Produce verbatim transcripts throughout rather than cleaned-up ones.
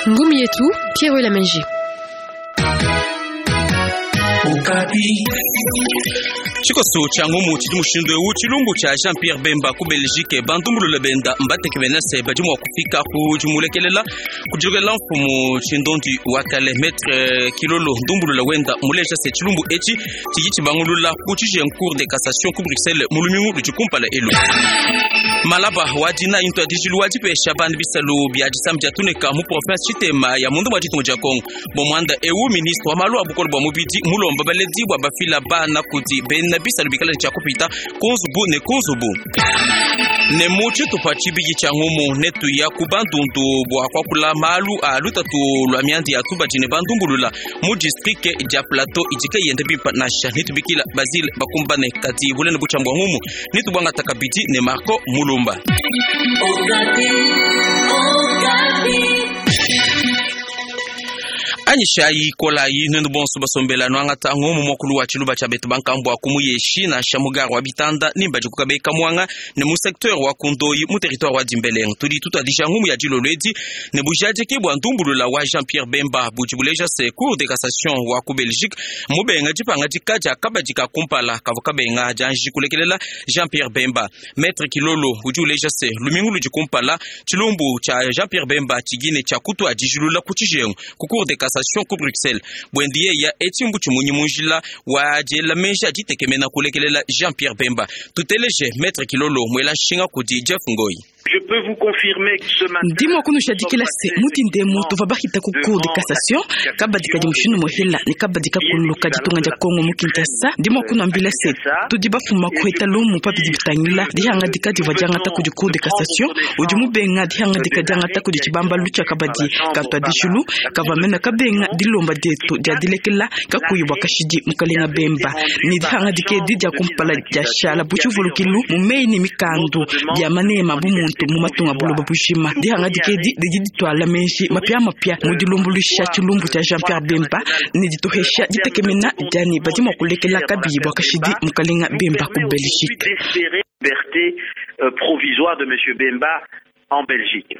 Ngumu yetu Pierre Lamenge. Tshikoso tshia ngumu tshidi mushindu eu tshilumbu tshia Jean Pierre Bemba ku Belgique bandumbulula benda mbateke benese badi mua kufika ku dimulekelela kudilekelela mfumu tshindondi wa kale maître Kilolo ndumbulula wenda muleja se tshilumbu etshi tshidi tshibangulula ku tshijengu cour de cassation ku Bruxelles mu lumingu ludi kumpala elu. Malaba wa dina into adijilu wa dipesha bandu bisalu bia disambi dia tuneka mu province tshitema ya mundu wa ditunga dia Congo bo mwanda eu ministre wa malu a bukole bua mubidi mulomba baledi bua bafila bana kudi bena bisalu bikala tshia kupita kunzubu ne kunzubu ne mu tshitupa tshibidi tshia ngumu netuya ku bandundu bua kuakula malu a lutatu lua mianda ya tubadi ne bandumbulula mu district dia plateau idika yenda bimpa nansha nitubikila Basile bakumbane kadi bulene butshia bua ngumu nitubwangata kabidi ne Marco Mulumba. Anyishayi kolayi nenu bonso basombela nwangata ngomu mokulu wa tshiluba tshia betu bankambua kumuyeshi na shamugaro wa bitanda nimba dikukabeka mwanga ne mu secteur wa kundoyi mu territoire wa Dimbeleng tudi tutadisha ngumu ya dilolo edi ne bujadiki bua ndumbulula wa Jean-Pierre Bemba budi buleja se cour de cassation wa ku Belgique mubenga dipanga dika dia kabadi ka kumpala kavua kabenga dianji kulekelela Jean-Pierre Bemba. Maître Kilolo udi uleja se lumingu ludi kumpala tshilumbu tshia Jean-Pierre Bemba tshigine tshia kutua dijilula ku tshijengu ku cour de cassation ku Bruxelles bwendiye ya etshimbu tshimunyi munjila wa diela menji aditekemena kulekelela Jean-Pierre Bemba. Tuteleje Maître Kilolo mwela nshinga kudi Jeff Ngoi. Je peux vous confirmer que ce matin, ndimo kunushadikila se mutindemo tova bahita ku cour de cassation kabadi kadi mushindu mohela ne kabadi kakuluka ditunga dia Kongo mu Kinshasa. Ndimo kunuambila se tudi bafuma kuheta lumu pabidi bitangila dihanga dikadi va diangata kudi cour de cassation udi mubenga dihanga dika diangata kudi tshibambalu tshia kabadi katwa dijulu kava mena kabenga dilomba dietu dia dilekela kakuyi bua kashidi mukalenga Bemba ne dihanga dikedi dia kumpala dia shala butshivulukilu mu meyi ne mikandu bia manema bu muntu mu matunga buloba bujima. Dihanga dikedi didi ditwala menji mapia mapia mu dilumbuluisha tshilumbu tshia Jean-Pierre Bemba ne dituhesha ditekemena diani badi mua kulekela kabiyi bua kashidi mukalenga Bemba ku Belgique. Liberté euh, provisoire de monsieur Bemba en Belgique.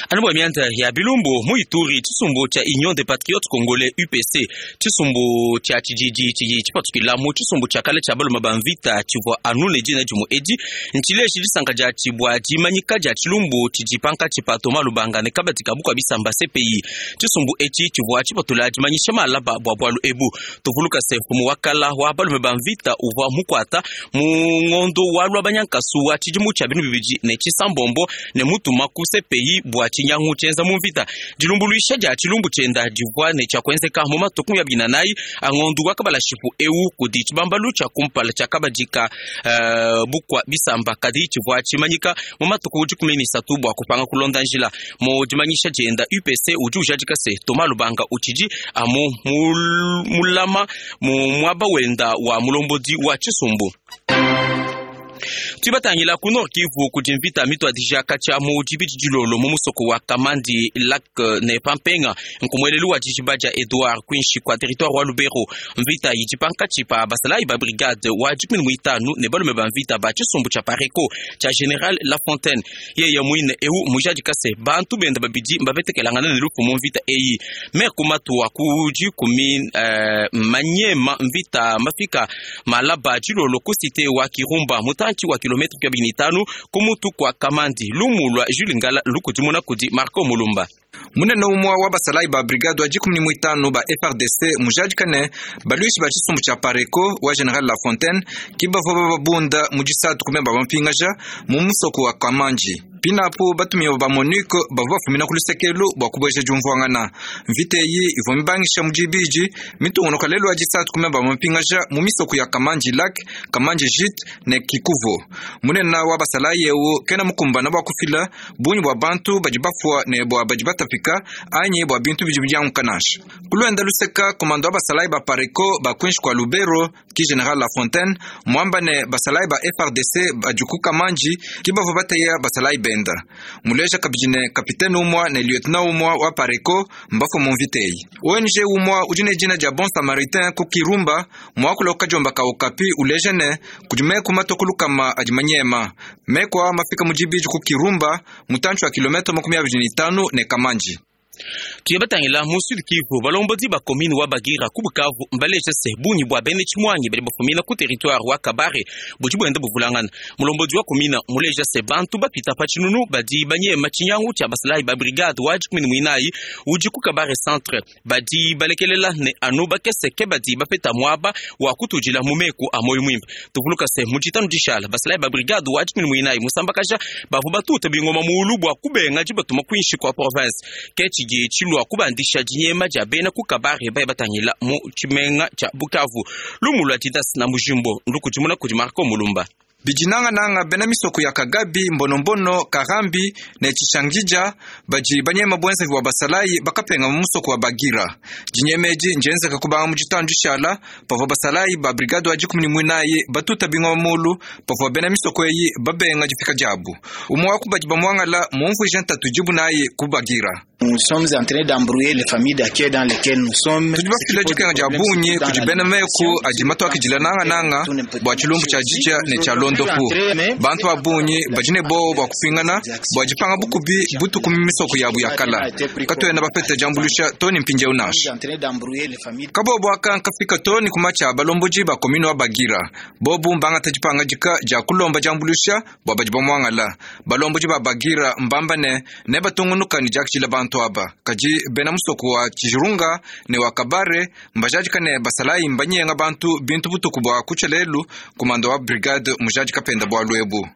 Anu bua mianda ya bilumbu mu Ituri tshisumbu tshia Union des Patriotes Congolais U P C tshisumbu tshia tshididi tshidi tshipatukila mu tshisumbu tshia kale tshia baluma ba mvita tshivua anu ne dina dimu edi ntshileji disanka dia tshibua dimanyika dia tshilumbu tshidi pankatshi pa Thomas Lubanga ne kabadi ka bukua bisamba C P I. Tshisumbu etshi tshivua tshipatula dimanyisha malaba bua bualu ebu. Tuvuluka se mfumu wa kala wa balume ba mvita uvua mukuata mu ngondo wa lwa banyankasu wa tshidimu tshia binu bibidi ne tshisambombo ne mutu ku C P I bua tshinyangu tshienza mu mvita. Dilumbuluisha dia tshilumbu tshienda divua ne tshia kuenzeka mu matuku ya binanayi angondu wa kabalashipu eu kudi tshibambalu tshia kumpala tshia kabadi ka uh, bukua bisamba kadi tshivua tshimanyika mu matuku dikumi ne isatu bua kupanga kulonda njila. Mu dimanyisha dienda U P C udi ujadika se Thomas Lubanga utshidi amu mulama mu muaba wenda wa mulombodi wa tshisumbu. Tubatangila ku Nord Kivu kudi mvita mituadija katshia mu dibidi dilolo mu musoko wa Kamandi Lac ne Pampenga nkumwelelu wa dijiba dia Edouard kwinshi kwa territoire wa Lubero. Mvita idi pankatshi pa basalayi ba brigade wa dikumi ne muitanu ne balume ba mvita ba tshisumbu tshia Pareco tshia General Lafontaine. Yeye muine eu mujadika se bantu benda babidi mbabetekelangana ne lufu mu mvita eyi. Maire kumatu wa ku dikumi uh, manyema mvita mafika malaba dilolo ku cité wa Kirumba mutanchi wa kilometre kabini itanu kumutu kwa Kamandi. Lumu lwa Jules Ngala lukudimuna kudi Marco Mulumba. Munene umwa wa basalayi ba brigade wa dikumi ne muitanu ba F R D C mujadikane baluishi ba tshisumbu tshia Pareco wa General Lafontaine kibavua bababunda mu disatu kumemba bampingaja mu musoko wa Kamandi. Pinapo batumiwa ba MONUC bavua bafumina ku lusekelu bua kubueja diumvuangana. Mvita eyi ivua mibangisha mu dibidi mitungunuka lelu wa disatu kumemba bampingaja mu misoko ya Kamandi Lac, Kamandi Jit ne Kikuvo. Munene wa basalayi eu kena mukumbana bua kufila bungi bua bantu badi bafua ne bua badi batapika anyi bua bintu bidi bidianguka nansha. Kuluenda luseka komando wa basalayi ba Pareco ba kwinshi kwa Lubero ki General Lafontaine mwamba ne basalayi ba F R D C badi ku Kamandi ki bavua bateya basalayi bende. benda. Muleja kabidi ne kapitene umwa ne lieutenant umwa wa Pareko mbafo mu mvita eyi. O N G umwa udi ne dina dia Bon Samaritain ku Kirumba muakula kajomba ka Okapi uleja ne kudi meku matoko lukama adi manyema. Meku awa mafika mu dibidi ku Kirumba mutantshi wa kilometre makumi abidi ne itanu ne Kamanji. Tuyabatangila mu Sud Kivu balombodi ba commune wa Bagira ku Bukavu mbaleja se bungi bwa bene tshimwangi badi bafumina ku territoire wa Kabare budi bwenda buvulangana. Mulombodi wa commune muleja se bantu bapita pa tshinunu badi banyema tshinyangu tshia basalayi ba brigade wa dikumi ne muinayi udi ku Kabare centre badi balekelela ne anu bakese ke badi bapeta muaba wa kutudila mu meku a moyo mwimpe. Tuvuluka se mu ditanu dishala basalayi ba brigade wa dikumi ne muinayi musambakaja bavua batuta bingoma muulu bua kubenga dibatuma kuinshi kwa province ke tshidi tshilua kubandisha dinyema dia bena ku Kabare baye batangila mu tshimenga tshia Bukavu. Lumu lua Didas na Mujimbo ndukudimuna kudi Marco Mulumba. Bijinanga-nanga bena misoko ya Kagabi, Mbonombono, Karambi ne Chishangija badi banyema bwenza bwa basalayi bakapenga mu musoko wa Bagira. Dinyemeji njenzeka kubanga mu ditanu dishala pavua basalayi ba brigade wa dikumi ne muinayi batuta bingoma mulu pavua bena misoko eyi babenga difika diabu. Umwe wa ku badi bamuangala mumvuija ntatu dibu nayi ku Bagira. Nous sommes en train d'embrouiller les familles d'accueil dans lesquelles nous sommes. Tudi bafila dikenga dia bungi kudi bena meku adi matuakidila nanga-nanga bua tshilumbu tshia dija ne tshia londopu. Bantu ba bungi badi ne bowa bua kupingana bua dipanga bukubi butuku mu misoko yabu ya kala. Katuena bapete diambuluisha to ne mpindieu nansha. Kabobo aka nkafika to ne kumatshia balombodi ba commune wa Bagira. Bobu mbangata dipanga dika dia kulomba diambuluisha bua badi bamuangala. Balombodi ba Bagira mbamba ne ne batungunuka ne diakidila bantu aba. Kadi bena musoko wa Tshijirunga ne wa Kabare mbajadika ne basalayi mbanyenga bantu bintu butuku bua kutshelelu kumando wa brigade mujadika penda bua lwebu.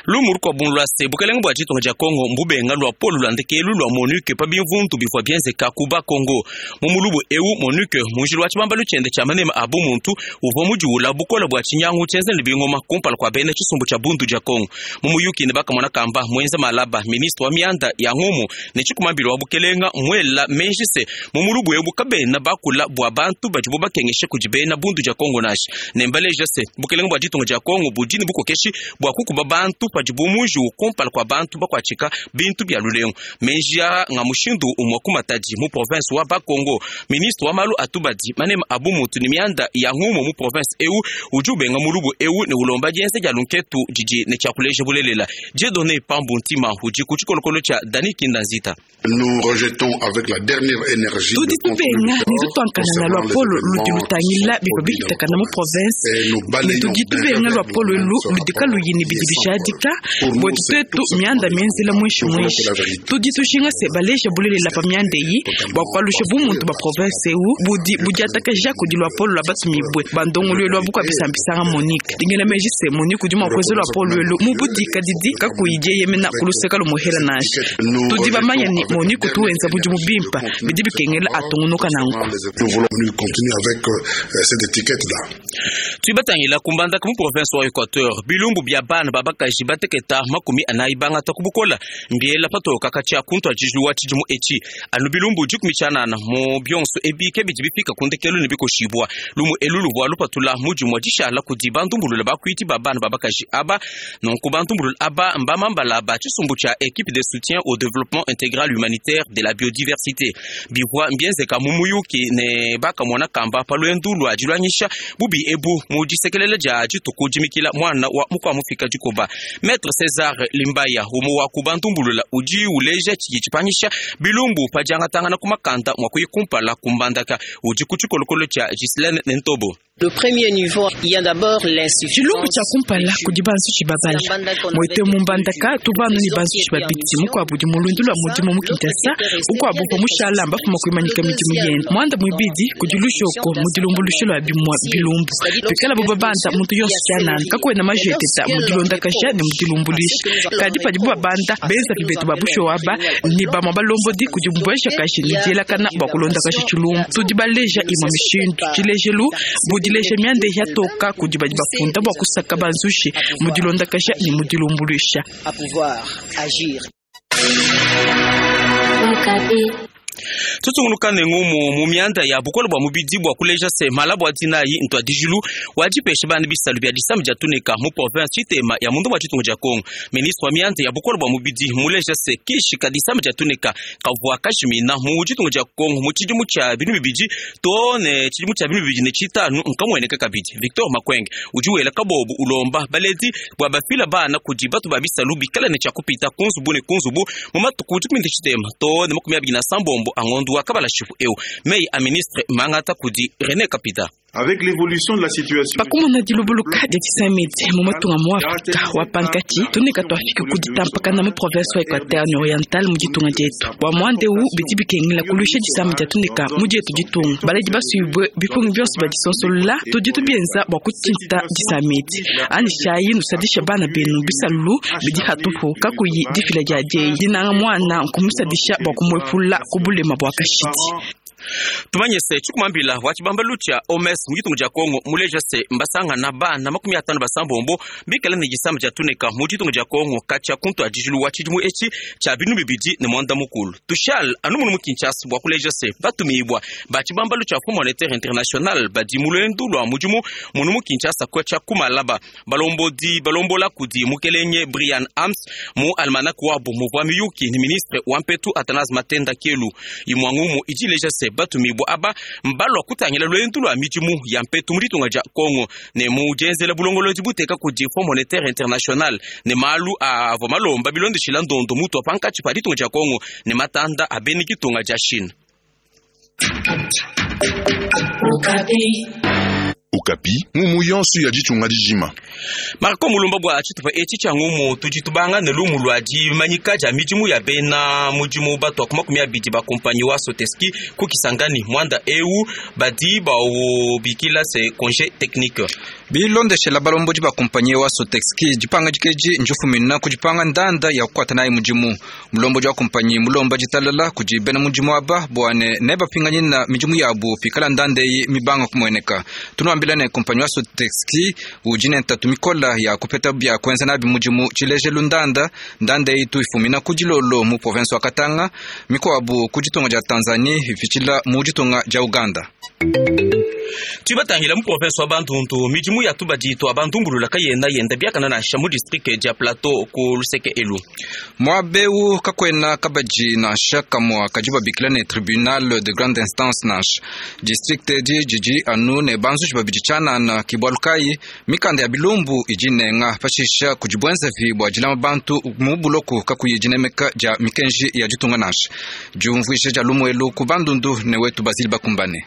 Lumu lukua bundu se bukelenge bua ditunga dia Kongo mbubenga lua polu lua ndekelu lua MONUC pa bimvundu bivua bienzeka ku Bakongo. Mu mulubu ewu MONUC munjili wa tshibambalu tshiende tshia manema a bumuntu uvua mudiwula bukola bua tshinyangu tshienza ne bingoma kumpala kua bena tshisumbu tshia bundu dia Kongo. Mu muyuki ne bakamona kamba mwenza malaba ministre wa mianda ya ngumu ne tshikumambilo wa bukelenga mwela menji se mu mulubu ewu kabena bakula bua bantu badibu bakengeshe kudi bena bundu dia Kongo nashi. Ne mbaleja se bukelenga bua ditunga dia Kongo budi ne bukokeshi bua kukuba bantu padibu muji ukumpala kwa bantu bakwatshika bintu bya lulengu menjia nga mushindu umwa kumatadi mu province wa Bakongo. Ministre wa malu atubadi manema abu mutu ni mianda ya ngumu mu province eu ujubenga mulubu eu ne ulomba dienze dia lunketu didi ne tshiakuleja bulelela. Dieudonné Pambu Ntima udi ku tshikolokolo tshia Dani Kindanzita. Nous rejetons avec la dernière énergie tudi tubenga ne tutuankana lua polo ludi lutangila bivua bipitakana mu province ne tudi tubenga lua polo elu ludika luyini bidi bishadika bwetu twetu mianda mienzela mwishi mwishi tudi tushinga se baleja bulelela pa mianda eyi bua kualusha bumuntu ba province eu budi budiatakaja kudi lua polo lua batumibue bandongoluelu lua bukua bisambisanga Monique dingela meji se Monique udi mua kuenza lua polo elu mu budika didi kakuyi dieyemena kuluseka lumuhela nansha tudi bamanya ni Monique tuwenza budi mubimpa bidi bikengela atungunuka nanku. Nous voulons continuer avec euh, cette étiquette-là. Tuibatangila kumbandaka mu province wa Equateur bilumbu bya bana babakaji bateketa makumi anayi bangata kubukola mbiela patoka katshia kuntu ajijuwa tshidimu etshi anu bilumbu dikumi tshianana mu bionso ebi ke bidi bifika kundekelu ne bikoshibua lumu elu luvua lupatula mudimu wa dishala kudi bantumbulula bakuiti ba bana babakaji aba nonku bantumbulula aba mbamambala ba tshisumbu tshia équipe de soutien au développement intégral humanitaire de la biodiversité bivua mbienzeka mu muyuki ne bakamona kamba pa luendu lua dilwanyisha bubi ebu mu disekelela dia dituku dimikila mwana wa mukua mufika dikoba. Maître César Limbaya umu wa kubantumbulula udi uleja tshidi tshipanyisha bilumbu pa diangatangana ku makanda mua kuyikumpala kumbandaka udi ku tshikolokolo tshia Ghislaine Nentobo. Le premier niveau, il y a d'abord l'insuffisance. Tshilumbu tshia kumpala kudi banzushi babala mwete mumbandaka tubanu ni banzushi babiti mukuabu di mulundu lua mudimu mu Kinshasa ukuabu pa mushala mbafuma kuimanyika midimu yende mwanda muibidi kudi lushoko mudilumbulusho lua bimua bilumbu pikala bo babanda muntu yonso tshianana kakuena majeteta mudilondakasha ne mudilumbulisha kadi padibu babanda benza bibetu ba busho aba ni bamua balombodi kudi mbueshakashi ne dielakana bua kulondakasha tshilumbu tudi baleja imua mishindu tshilejelu budileja mianda yatoka kudi badi bafunda bua kusaka banzushi mudilondakasha ne mudilumbulisha. À pouvoir agir. Okapi. Tutungunuka ne ngumu mu mianda ya bukole bua mubidi bua kuleja se mala bua dinayi ntuadijilu wa dipesha bana bisalu bia disama dia tuneka mu province tshitema ya mundu wa tshitungu dia Kongo. Ministre wa mianda ya bukole bua mubidi muleja se kishi ka disama dia tuneka kavua kashimina mu tshitungu dia Kongo mu tshidimu tshia binu bibidi to ne tshidimu tshia binu bibidi ne tshitanu nkamueneka kabidi. Victor Makwenge udi wela kabobu ulomba baledi bua bafila bana kudi batu ba bisalu bikala ne tshia kupita kunzubu ne kunzubu mu matuku dikumi ne tshitema to ne makumi abidi na sambombo angondu wa kabala shifu eu mei a ministre mangata kudi René Kapita. Avec l'évolution de la situation, pakumona dilubuluka dia tshisamedi mu matunga mu Afrika wa pankati tuneka twafika kuditampakana mu province wa Equateur ni Oriental mu ditunga dietu bua muanda eu bidi bikengela kulusha disama dia tuneka mu dietu ditunga baledi basubwe bipungi bionso bia disonsolola tudi tubienza bua kutshinta disamedi ani shayi nusadisha bana benu bisalu bidi hatupu kakuyi difila dia dieyi dinanga mwana nkumusadisha bua kumwepula kubulema bua kashidi. Tumanye se chikumambila wa chibambalu cha O M S mu ditunga dia Kongo muleja se mbasangana bana makumi atanu basambombo bikala ne disama dia tuneka mu ditunga dia Kongo katshia kuntu adijilu wa tshidimu etshi tshia binu bibidi ne mwanda mukulu. Tushal anu munu mu Kinshasa bua kuleja se batumibwa ba chibambalu cha Fonds Monétaire International badi mu luendu lua mudimu munu mu Kinshasa katshia kumalaba balombodi balombola kudi mukelenge Brian Ams mu almanach wabu muvua miyuki ni ministre wa mpetu Athanase Matenda Kelu imwangumu idileja se batumibwa aba mbalwa kutangila lwendu lwa midimu ya mpetu mu ditunga dia Kongo ne mu dienzela bulongolodi buteka kudi Fonds Monétaire International ne malu avua malomba bilondeshila ndondo mutu wa pankatshi pa ditunga dia Kongo ne matanda a bena ditunga dia Chine. Okapi ngumu yonso ya ditunga dijima. Marco Mulumba bua tshitupa etshi tshia ngumu tudi tubanga ne lumu lua dimanyika dia midimu ya bena mudimu batua ku makumi abidi ba kompanyi wa Soteski ku Kisangani mwanda eu badi baubikila se congé technique. Bilondeshela balombodi ba kompanyi wa Soteski dipanga dikeji njufumina kudipanga ndanda ya kukwata nayi mudimu. Mulombodi wa kompanyi mulomba ditalala kudi bena mudimu aba bua ne nebapinganyina midimu yabu pikala ndanda eyi mibanga kumueneka. Tunuambila ne kompanyi wa Soteski udi ne ntatu mikola ya kupeta bia kuenza nabi mudimu tshilejelu ndanda ndanda eyi tuifumina ku dilolo mu province wa Katanga mikuabu ku ditunga dia Tanzania ifitshila mu ditunga dia Uganda. Tubatangila mu province wa Bandundu midimu ya tubadi twa bandumbulula kayena yenda biakana nansha mu district dia Plateau ku luseke elu. Mwabeu kakwena kabadi nansha kamwa kadi babikila ne tribunal de grande instance nansha district edi didi anu ne banzuji babidi tshianana kibwalukayi mikanda ya bilumbu idi nenga pashisha kudi bwenzavi bua dilama bantu mu buloko kakuyi dinemeka dia mikenji ya ditunga nansha diumvuija dia lumuelu ku Bandundu ne wetu Basile Bakumbane.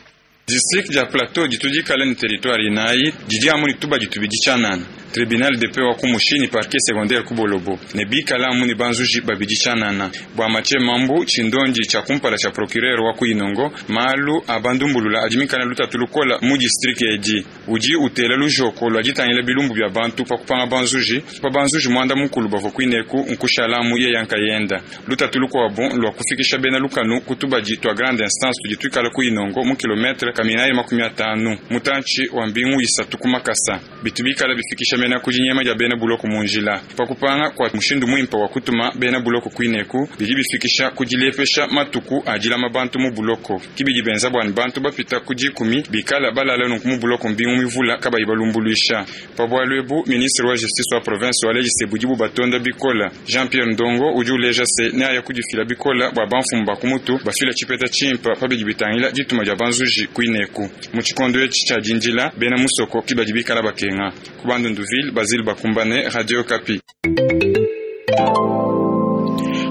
District dia Plateau ditudikala ni territoire inayi didi amu ni tubadi tubidi tshianana tribunal de paix wa ku Mushini parquet secondaire ku Bolobo ne bikala amu ni banzuji babidi tshianana bua Mathieu Mambu tshindondi tshia kumpala tshia procureur wa ku Inongo malu a bandumbulula adi mikala lutatu lukola mu district edi udi utela lujoko lua ditangila bilumbu bia bantu pa kupanga banzuji pa banzuji mwanda mukulu bavua kuineku nkushala amu yeya nkayenda lutatu lukuabu lua kufikisha bena lukanu ku tubadi tua grande instance tudi tuikala ku Inongo mu kilometre kaminayi makumi atanu mutantshi wa mbingu isatu ku makasa bitu bikala bifikisha mena ku dinyema dia bena buloko mu njila pa kupanga kua mushindu muimpe wa kutuma bena buloko kuineku bidi bifikisha ku dilepesha matuku a dilama bantu mu buloko kibidi benza bua bantu bapita ku dikumi bikala balala nunku mu buloko mbingu mivula kabayi balumbuluisha pa bualu ebu ministre wa justice wa province wa lejise budi bubatonda bikola Jean Pierre Ndongo udi uleja se neaya kudifila bikola bua bamfumu ba kumutu bafila tshipeta tshimpa pa bidi bitangila dituma dia banzuji kuineku mu tshikondo etshi tshia dindila bena musoko kibadi bikala bakenga ku Bandunduville Basile Bakumbane, Radio Okapi.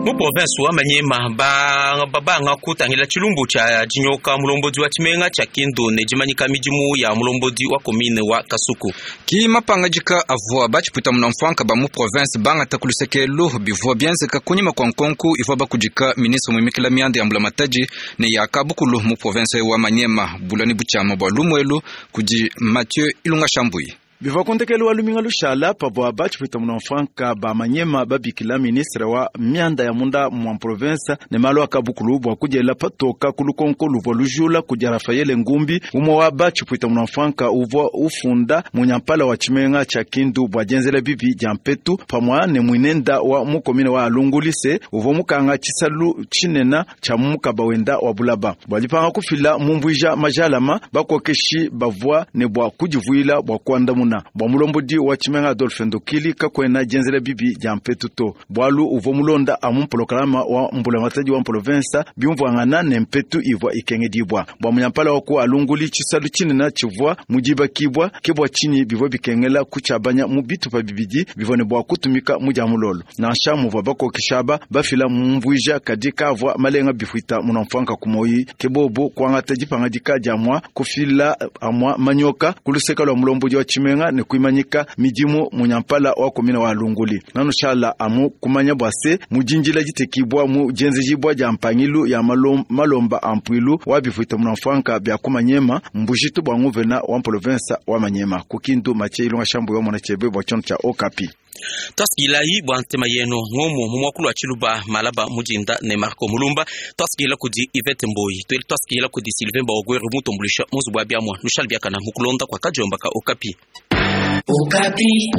Mu province wa Maniema ba babanga kutangila tshilumbu tshia dinyoka mulombodi wa tshimenga tshia Kindu ne dimanyika midimu ya mulombodi wa commune wa Kasuku. Ki mapangajika avua batshipuita muna mfuanka ba mu province bangata ku lusekelu bivua bienzeka kunyima kua nkonku ivua bakudika ministre muimikila mianda ya mbulamatadi ne ya kabukulu mu province wa Maniema bulani butshiama bua lumuelu kudi Mathieu Ilunga Shambuyi. Bivua kundekelu wa luminga lushala pavua batshipwita munamfranka ba manyema babikila ministre wa mianda ya munda mwa province ne malu akabukulu bua kudiela patoka ku lukonko luvua lujula kudi Rafael Ngumbi, umwe wa batshipwita munamfranka uvua ufunda munyampala wa tshimenga tshia Kindu bua dienzela bibi dia mpetu pamua ne mwinenda wa mukomine wa Alungulise uvua mukanga tshisalu tshinena tshia mukaba wenda wa bulaba bua dipanga kufila mumvuija majalama bakokeshi bavua ne bua kudivuila bua kuandamuna bua mulombodi wa tshimenga Adolphe Ndokili kakwena dienzela bibi dia mpetu to bwalu uvua mulonda amu mpolokalama wa mbulamatadi wa province biumvuangana ne mpetu ivua ikengedibwa bua munyampala wa ku Alunguli tshisalu tshinena tshivua mudibakibwa ke bua tshinyi bivua bikengela kutshiabanya mu bitupa bibidi bivua ne bua kutumika mu dia mulolo nansha muvua bakokesha aba bafila mumvuija kadi kavua malenga bifuita munamfwanka kumoyi ke bobo kuangata dipangadika dia mua kufila amua manyoka kuluseka lwa mulombodi wa tshimenga ne kuimanyika midimu munyampala wa komina wa Alunguli nanushala amu kumanya bua se mudinjila ditekibwa mu dienzejibwa dia mpangilu ya malom, malomba ampuilu wa bifuita munamfwanka bya kumanyema mbujitu bua nguvena wa province wa Manyema kukindu mache ilonga shambu wa mona chebe bua tshiono tshia Okapi. Twasikilayi bua ntema yenu ngomo mu mwakulu wa Tshiluba malaba mujinda ne Marco Mulumba. Twasikila kudi Yvette Mboyi, tweli twasikila kudi Sylvain Baogweru mutombulisha muzubu wa biamwa nushali biakana mukulonda kwa kajomba ka Okapi. Okapi.